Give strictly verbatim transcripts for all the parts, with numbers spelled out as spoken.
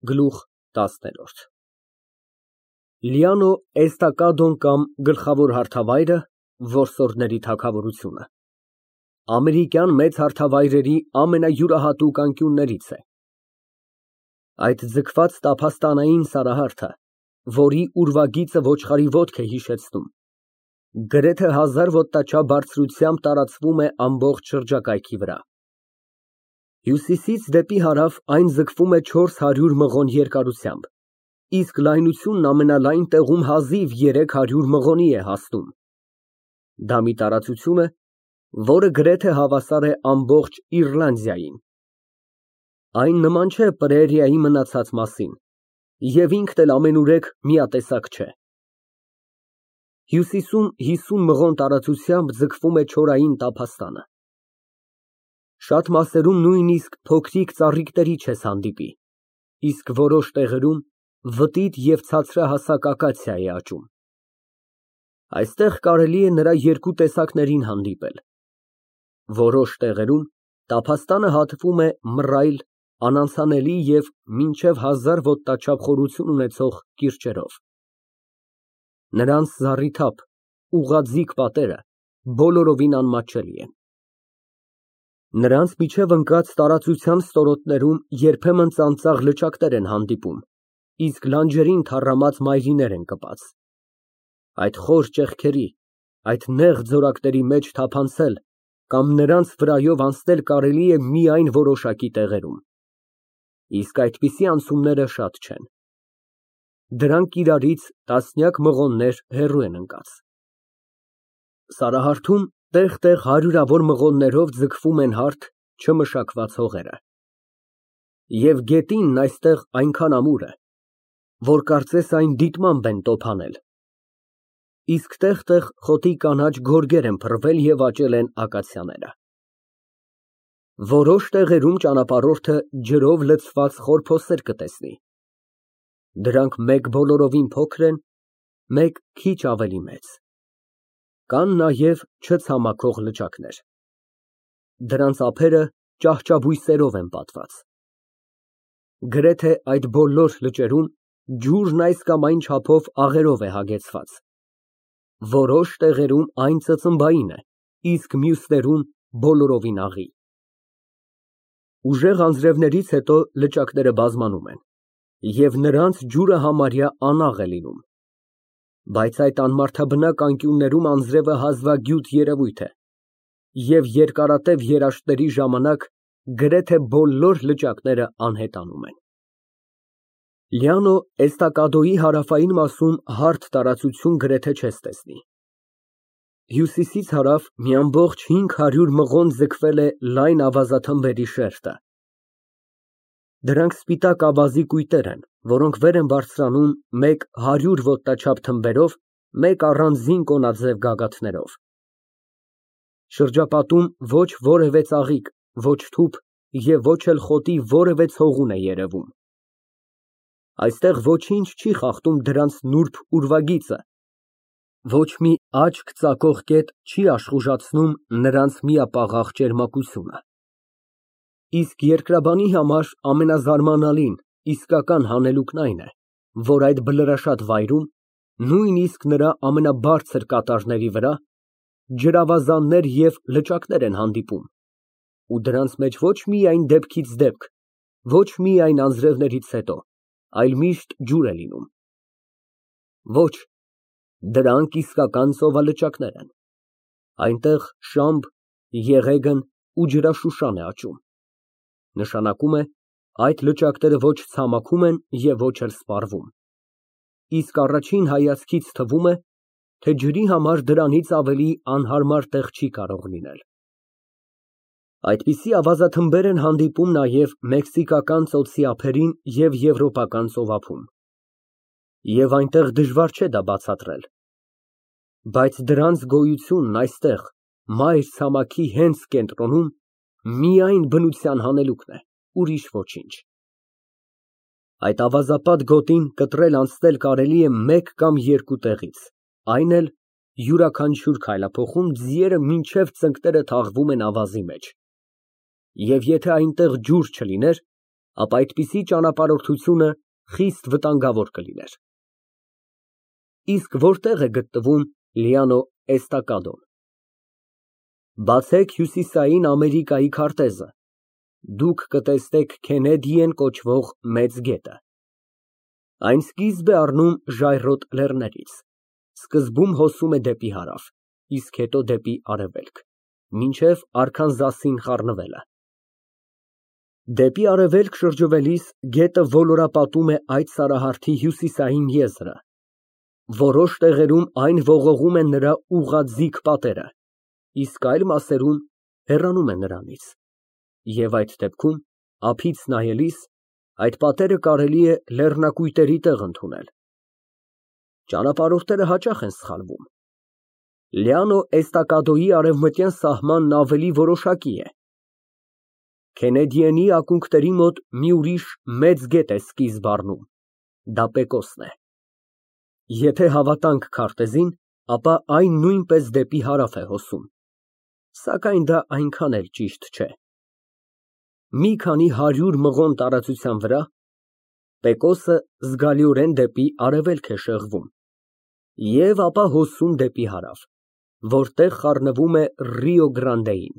Գլուխ տասներորդ Լիանո Էստակադոն կամ Գլխավոր հարթավայրը, որսորդների թագավորությունը, ամերիկյան մեծ հարթավայրերի ամենայուրահատուկ անկյուններից է։ Այդ ձգված տափաստանային սարահարթը, որի ուրվագիծը ոչխարի ոտք է հիշեցնում, գրեթե հազար ոտնաչափ բարձրությամբ տարածվում է ամբողջ շրջակայքի վրա։ Հյուսիսից դեպի հարավ այն ձգվում է չորս հարյուր մղոն երկարությամբ, իսկ լայնությունն ամենալայն տեղում հազիվ երեք հարյուր մղոնի է հասնում։ Դա մի տարածություն է, որը գրեթե հավասար է ամբողջ Իռլանդիային։ Այն նման չէ Պրերիայի մնացած մասին, և ինքն էլ ամենուրեք միատեսակ չէ։ Հյուսիսում հիսուն մղոն տարածությամբ ձգվում է չորային տափաստանը։ Շատ մասերում նույնիսկ փոքրիկ ծառիկների չես հանդիպի, իսկ որոշ տեղերում վտիտ և ցածրահասակ ակացիա է աճում։ Այստեղ կարելի է նրա երկու տեսակներին հանդիպել։ Որոշ տեղերում տափաստանը հատվում է մռայլ, անանցանելի և մինչև հազար ոտնաչափ խորություն ունեցող կիրճերով։ Նրանց զառիթափ, ուղղաձիգ պատերը բոլորովին անմատչելի են։ Նրանց միջև ընկած տարածության ստորոտներում երբեմն ծանծաղ լճակներ են հանդիպում, իսկ լանջերին թառամած մայրիներ են կպած։ Այդ խոր ճեղքերի, այդ նեղ ձորակների մեջ թափանցել կամ նրանց վրայով անցնել կարելի է միայն որոշակի տեղերում, իսկ այդպիսի անցումները շատ չեն։ Դրանք իրարից տասնյակ մղոններ հեռու են ընկած։ Սարահարթում տեղ֊տեղ հարյուրավոր մղոններով ձգվում են հարթ, չմշակված հողերը։ Եվ գետինն այստեղ այնքան ամուր է, որ կարծես այն դիտմամբ են տոփանել, իսկ տեղ֊տեղ խոտի կանաչ գորգեր են փռվել և աճել են ակացիաները։ Որոշ տեղերում ճանապարհորդը ջրով լցված խորփոսեր կտեսնի։ Դրանք մեկ բոլորովին փոքր են, մեկ քիչ ավելի մեծ։ Կան նաև չցամաքող լճակներ։ Դրանց ափերը ճահճաբույսերով են պատված։ Գրեթե այդ բոլոր լճերում ջուրն այս կամ այն չափով աղերով է հագեցված։ Որոշ տեղերում այն ծծմբային է, իսկ մյուսներում բոլորովին աղի։ Ուժեղ անձրևներից հետո լճակները բազմանում են, և նրանց ջուրը համարյա անաղ է լինում։ Բայց այդ անմարդաբնակ անկյուններում անձրևը հազվագյուտ երևույթ է, և երկարատև երաշտների ժամանակ գրեթե բոլոր լճակները անհետանում են։ Լիանո Էստակադոյի հարավային մասում հարթ տարածություն գրեթե չես տեսնի։ Հյուսիսից հարավ մի ամբողջ հինգ հարյուր մղոն ձգվել է լայն ավազաթմբերի շերտը։ Դրանք սպիտակ ավազի կույտեր են, որոնք վեր են բարձրանում մեկ հարյուր ոտնաչափ թմբերով, մեկ առանձին կոնաձև գագաթներով։ Շրջապատում ոչ որևէ ծաղիկ, ոչ թուփ և ոչ էլ խոտի որևէ ցողուն է երևում։ Այստեղ ոչինչ չի խախտում դրանց նուրբ ուրվագիծը, ոչ մի աչք ծակող կետ չի աշխուժացնում նրանց միապաղաղ ճերմակությունը։ Իսկ երկրաբանի համար ամենազարմանալին, իսկական հանելուկն այն է, որ այդ բլրաշատ վայրում, նույնիսկ նրա ամենաբարձր կատարների վրա, ջրավազաններ և լճակներ են հանդիպում, ու դրանց մեջ ոչ միայն դեպքից դեպք, ոչ միայն անձրևներից հետո, այլ միշտ ջուր է լինում։ Ոչ, դրանք իսկական ծովալճակներ են։ Այնտեղ շամբ, եղեգն ու ջրաշուշան է աճում։ Նշանակում է, այդ լճակները ոչ ցամաքում են և ոչ էլ սպառվում, իսկ առաջին հայացքից թվում է, թե ջրի համար դրանից ավելի անհարմար տեղ չի կարող լինել։ Այդպիսի ավազաթմբեր են հանդիպում նաև մեքսիկական ծոցի ափերին և եվրոպական ծովափում, և այնտեղ դժվար չէ դա բացատրել։ Բայց դրանց գոյությունն այստեղ, մայր ցամաքի հենց կենտրոնում, միայն բնության հանելուկն է, ուրիշ ոչինչ։ Այդ ավազապատ գոտին կտրել անցնել կարելի է մեկ կամ երկու տեղից, այն էլ յուրաքանչյուր քայլափոխում ձիերը մինչև ծնկները թաղվում են ավազի մեջ, և եթե այնտեղ ջուր չլիներ, ապա այդպիսի ճանապարհորդությունը խիստ վտանգավոր կլիներ։ Իսկ որտե՞ղ է գտնվում Լիանո Էստակադոն։ Բացեք Հյուսիսային Ամերիկայի քարտեզը, դուք կտեսնեք Քենեդիեն կոչվող մեծ գետը։ Այն սկիզբ է առնում ժայռոտ լեռներից, սկզբում հոսում է դեպի հարավ, իսկ հետո դեպի արևելք, մինչև Արքանզասին խառնվելը։ Դեպի արևելք շրջվելիս գետը ոլորապատում է այդ սարահարթի հյուսիսային եզրը, որոշ տեղերում այն ողողում է նրա ուղղաձիգ պատերը, իսկ այլ մասերում հեռանում է նրանից, և այդ դեպքում ափից նայելիս այդ պատերը կարելի է լեռնակույտերի տեղ ընդունել։ Ճանապարհորդները հաճախ են սխալվում։ Լիանո Էստակադոյի արևմտյան սահմանն ավելի որոշակի է։ Քենեդիենի ակունքների մոտ մի ուրիշ մեծ գետ է սկիզբ առնում, դա Պեկոսն է։ Եթե հավատանք քարտեզին, ապա այն նույնպես դեպի հարավ է հոսում, սակայն դա այնքան էլ ճիշտ չէ։ Մի քանի հարյուր մղոն տարածության վրա Պեկոսը զգալիորեն դեպի արևելք է շեղվում և ապա հոսում դեպի հարավ, որտեղ խառնվում է Ռիո Գրանդեին։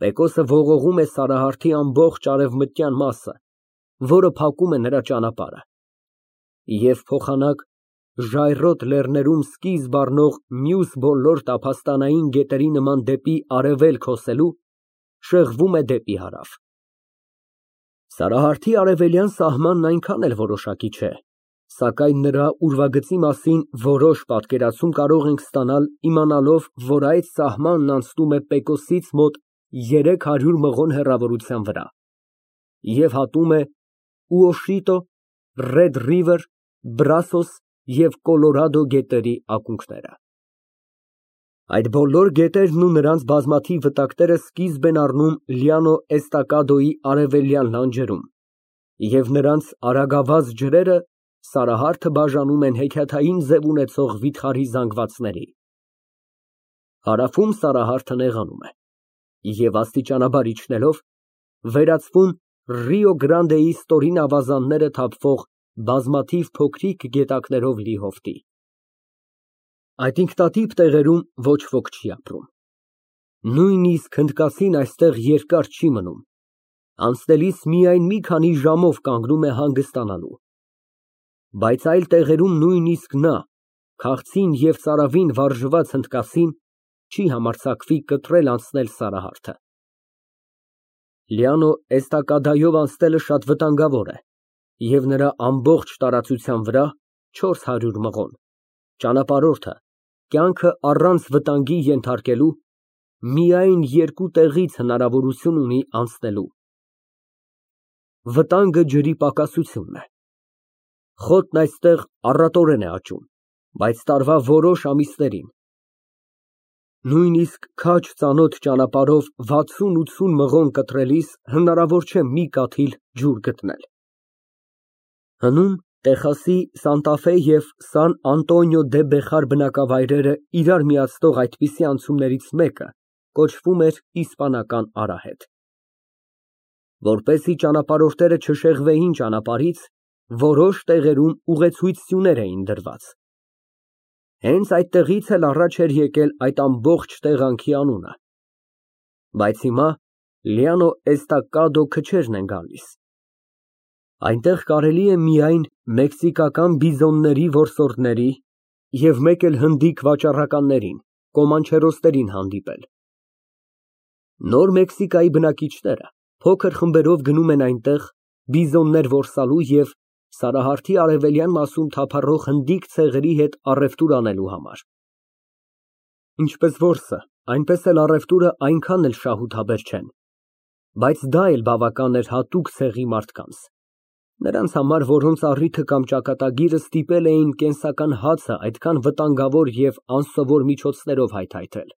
Պեկոսը ողողում է սարահարթի ամբողջ արևմտյան մասը, որը փակում է նրա ճանապարհը, և փոխանակ ժայռոտ լեռներում սկիզբ առնող մյուս բոլոր տափաստանային գետերի նման դեպի արևելք հոսելու, շեղվում է դեպի հարավ։ Սարահարթի արևելյան սահմանն այնքան էլ որոշակի չէ, սակայն նրա ուրվագծի մասին որոշ պատկերացում կարող ենք ստանալ իմանալով, որ այդ սահմանն անցնում է Պեկոսից մոտ երեք հարյուր մղոն հեռավորության վրա և հատում է Ուոշիտո, Ռեդ Ռիվեր, Բրասոս և Կոլորադո գետերի ակունքները։ Այդ բոլոր գետերն ու նրանց բազմաթիվ վտակները սկիզբ են առնում Լիանո Էստակադոյի արևելյան լանջերում, և նրանց արագավազ ջրերը սարահարթը բաժանում են հեքիաթային ձև ունեցող վիթխարի զանգվածների։ Հարավում սարահարթը նեղանում է և աստիճանաբար իջնելով, վերածվում Ռիո Գրանդեի ստորին ավազանները թափվող բազմաթիվ փոքրիկ գետակներով լի հովտի։ Այդ ինքնատիպ տեղերում ոչ ոք չի ապրում։ Նույնիսկ հնդկասին այստեղ երկար չի մնում, անցնելիս միայն մի քանի ժամով կանգնում է հանգստանալու։ Բայց այլ տեղերում նույնիսկ նա, քաղցին և ծարավին վարժված հնդկասին, չի համարձակվի կտրել անցնել սարահարթը։ Լիանո Էստակադայով անցնելը շատ վտանգավոր է, և նրա ամբողջ տարածության վրա չորս հարյուր մղոն ճանապարհորդը կյանքը առանց վտանգի ենթարկելու միայն երկու տեղից հնարավորություն ունի անցնելու։ Վտանգը ջրի պակասությունն է։ Խոտն այստեղ առատորեն է աճում, բայց տարվա որոշ ամիսներին նույնիսկ քաջ ծանոթ ճանապարհով վաթսուն֊ութսուն մղոն կտրելիս հնարավոր չէ մի կաթիլ ջուր գտնել։ Հնում Տեխասի Սանտա Ֆե և Սան Անտոնիո դե Բեխար բնակավայրերը իրար միացնող այդպիսի անցումներից մեկը կոչվում էր Իսպանական արահետ։ Որպեսզի ճանապարհորդները չշեղվեին ճանապարհից, որոշ տեղերում ուղեցույց սյուներ էին դրված։ Հենց այդտեղից էլ առաջ էր եկել այդ ամբողջ տեղանքի անունը։ Բայց հիմա Լիանո Էստակադո քչերն են գալիս։ Այնտեղ կարելի է միայն մեքսիկական բիզոնների որսորդների և մեկ էլ հնդիկ վաճառականներին, կոմանչերոսներին հանդիպել։ Նոր Մեքսիկայի բնակիչները փոքր խմբերով գնում են այնտեղ բիզոններ որսալու և սարահարթի արևելյան մասում թափառող հնդիկ ցեղերի հետ առևտուր անելու համար։ Ինչպես որսը, այնպես էլ առևտուրը այնքան էլ շահութաբեր չեն, բայց դա էլ բավական էր հատուկ ցեղի մարդկանց, նրանց համար, որոնց առիթը կամ ճակատագիրը ստիպել էին կենսական հացը այդքան վտանգավոր և անսովոր միջոցներով հայթայթել։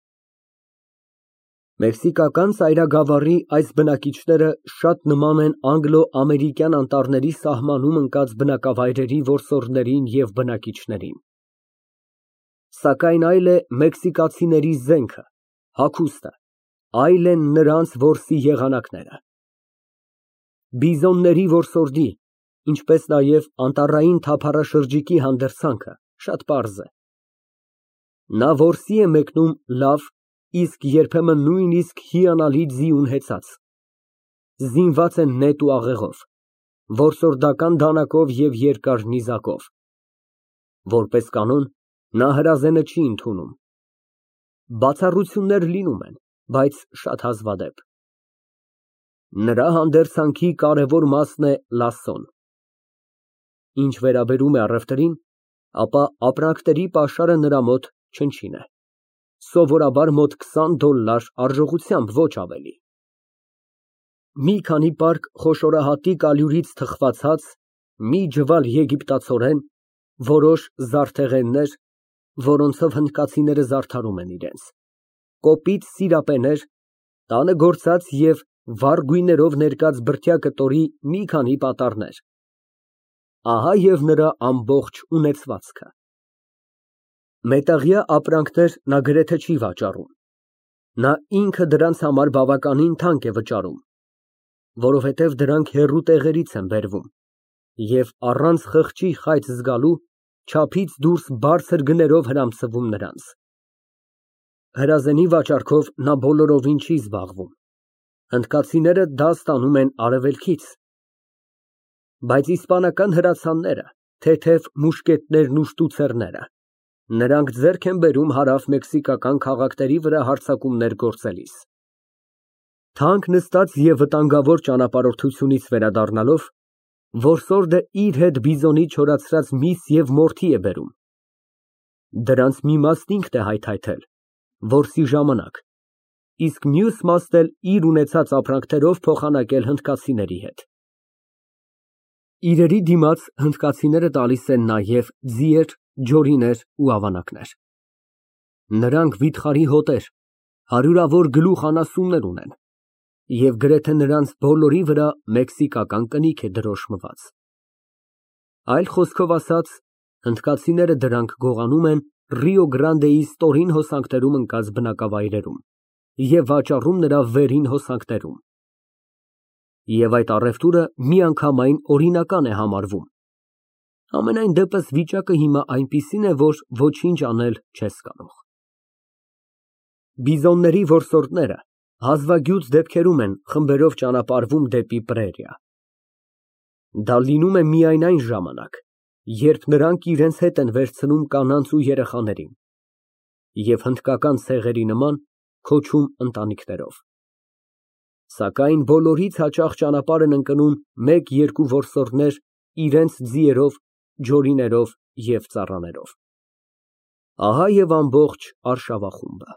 Մեքսիկական ծայրագավառի այս բնակիչները շատ նման են անգլո֊ամերիկյան անտառների սահմանում ընկած բնակավայրերի որսորդներին և բնակիչներին։ Սակայն այլ է մեքսիկացիների զենքը, հագուստը, այլ են նրանց որսի եղանակները։ Բիզոնների որսորդի, ինչպես նաև անտառային թափառաշրջիկի հանդերձանքը շատ պարզ է. նա որսի է մեկնում լավ, իսկ երբեմն նույնիսկ հիանալի ձիուն հեծած, զինված է նետ ու աղեղով, որսորդական դանակով և երկար նիզակով, որպես կանոն նա հրազենը չի ընդունում, բացառություններ լինում են, բայց շատ հազվադեպ։ Նրա հանդերձանքի կարևոր մասն է լասսոն։ Ինչ վերաբերում է առևտրին, ապա ապրանքների պաշարը նրա մոտ չնչին է, սովորաբար մոտ քսան դոլլար արժողությամբ, ոչ ավելի։ Մի քանի պարկ խոշորահատիկ ալյուրից թխված հաց, մի ջվալ եգիպտացորեն, որոշ զարդեղեններ, որոնցով հնդկացիները զարդարում են իրենց, կոպիտ սիրապեներ, տանը գործած և վառ գույներով ներկած բրդյա կտորի մի քանի պատառներ, ահա և նրա ամբողջ ունեցվածքը։ Մետաղյա ապրանքներ նա գրեթե չի վաճառում, նա ինքը դրանց համար բավականին թանկ է վճարում, որովհետև դրանք հեռու տեղերից են բերվում և առանց խղճի խայծ զգալու, չափից դուրս բարձր գներով հրամցվում նրանց։ Հրազենի վաճառքով նա բոլորովին չի զբաղվում, հնդկացիները դա ստանում են արևելքից, բայց իսպանական հրացանները, թեթև մուշկետներն ու շտուցերները, նրանք ձեռք են բերում հարավ֊մեքսիկական քաղաքների վրա հարձակումներ գործելիս։ Թանկ նստած և վտանգավոր ճանապարհորդությունից վերադառնալով, որսորդը իր հետ բիզոնի չորացրած միս և մորթի է բերում, դրանց մի մասն ինքն է հայթայթել որսի ժամանակ, իսկ մյուս մասն էլ իր ունեցած ապրանքներով փոխանակել հնդկացիների հետ։ Իրերի դիմաց հնդկացիները տալիս են նաև ձիեր, ջորիներ ու ավանակներ։ Նրանք վիթխարի հոտեր, հարյուրավոր գլուխ անասուններ ունեն և գրեթե նրանց բոլորի վրա մեքսիկական կնիկ է դրոշմված։ Այլ խոսքով ասած, հնդկացիները դրանք գողանում են Ռիո Գրանդեի ստորին հոսանքներում ընկած բնակավայրերում և վաճառում նրա վերին հոսանքներում։ Եվ այդ առևտուրը միանգամայն օրինական է համարվում։ Համենայն դեպս վիճակը հիմա այնպիսին է, որ ոչինչ անել չես կարող։ Բիզոնների որսորդները հազվագյուտ դեպքերում են խմբերով ճանապարհվում դեպի պրերիա։ Դա լինում է միայն այն ժամանակ, երբ նրանք իրենց հետ են վերցնում կանանց ու երեխաներին և հնդկական ցեղերի նման քոչում ընտանիքներով։ Սակայն բոլորից հաճախ ճանապարհ են ընկնում մեկ֊երկու որսորդներ իրենց ձիերով, ջորիներով և ծառաներով։ Ահա և ամբողջ արշավախումբը։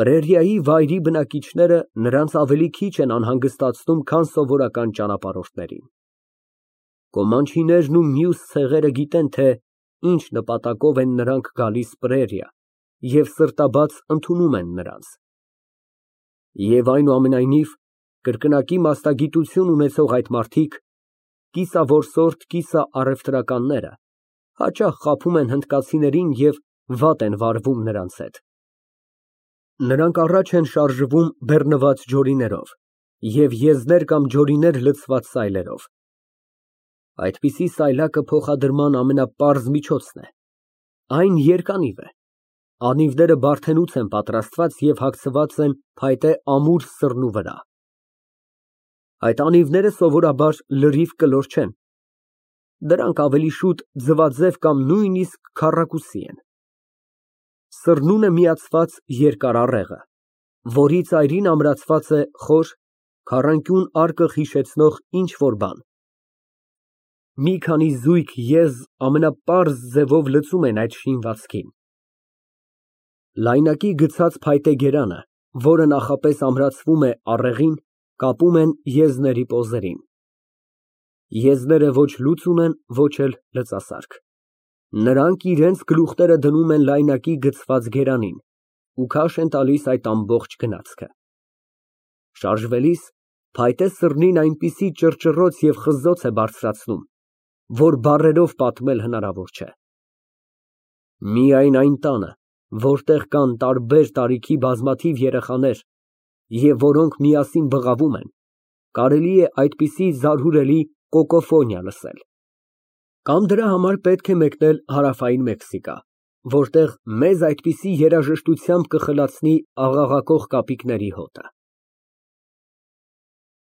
Պրերիայի վայրի բնակիչները նրանց ավելի քիչ են անհանգստացնում, քան սովորական ճանապարհորդներին։ Կոմանչիներն ու մյուս ցեղերը գիտեն, թե ինչ նպատակով են նրանք գալիս պրերիա և սրտաբաց ընդունում են նրանց։ Եվ այնուամենայնիվ, կրկնակի մասնագիտություն ունեցող այդ մարդիկ, կիսավորսորդ, կիսաառևտրականները, հաճախ խաբում են հնդկացիներին և վատ են վարվում նրանց հետ։ Նրանք առաջ են շարժվում բեռնված ջորիներով և եզներ կամ ջորիներ լցված սայլերով։ Այդպիսի սայլակը փոխադրման ամենապարզ միջոցն է, այն երկանիվ է, անիվները բարդենուց են պատրաստված և հագցված են փայտե ամուր սռնու վրա։ Այդ անիվները սովորաբար լրիվ կլոր չեն, դրանք ավելի շուտ ձվաձև կամ նույնիսկ քառակուսի են։ Սռնուն է միացված երկար առեղը, որի ծայրին ամրացված է խոր, քառանկյուն արկղ հիշեցնող ինչ֊որ բան։ Մի քանի զույգ եզ ամենապարզ ձևով լցում են այդ շինվածքին։ Լայնակի գցած փայտե գերանը, որը նախապես ամրացվում է առեղին, կապում են եզների պոզերին։ Եզները ոչ լուծում են, ոչ էլ լծասարք։ Նրանք իրենց գլուխները դնում են լայնակի գցված գերանին ու քաշ են տալիս այդ ամբողջ գնացքը։ Շարժվելիս փայտե սռնին այնպիսի ճռճռոց և խզոց է բարձրացնում, որ բառերով պատմել հնարավոր չէ։ Միայն այն տանը, որտեղ կան տարբեր տարիքի բազմաթիվ երեխաներ և որոնք միասին բղավում են, Կարելի է այդպիսի զարհուրելի կոկոֆոնիա լսել։ Կամ դրա համար պետք է մեկնել Հարավային Մեքսիկա, որտեղ մեզ այդպիսի երաժշտությամբ կխլացնի աղաղակող կապիկների հոտը։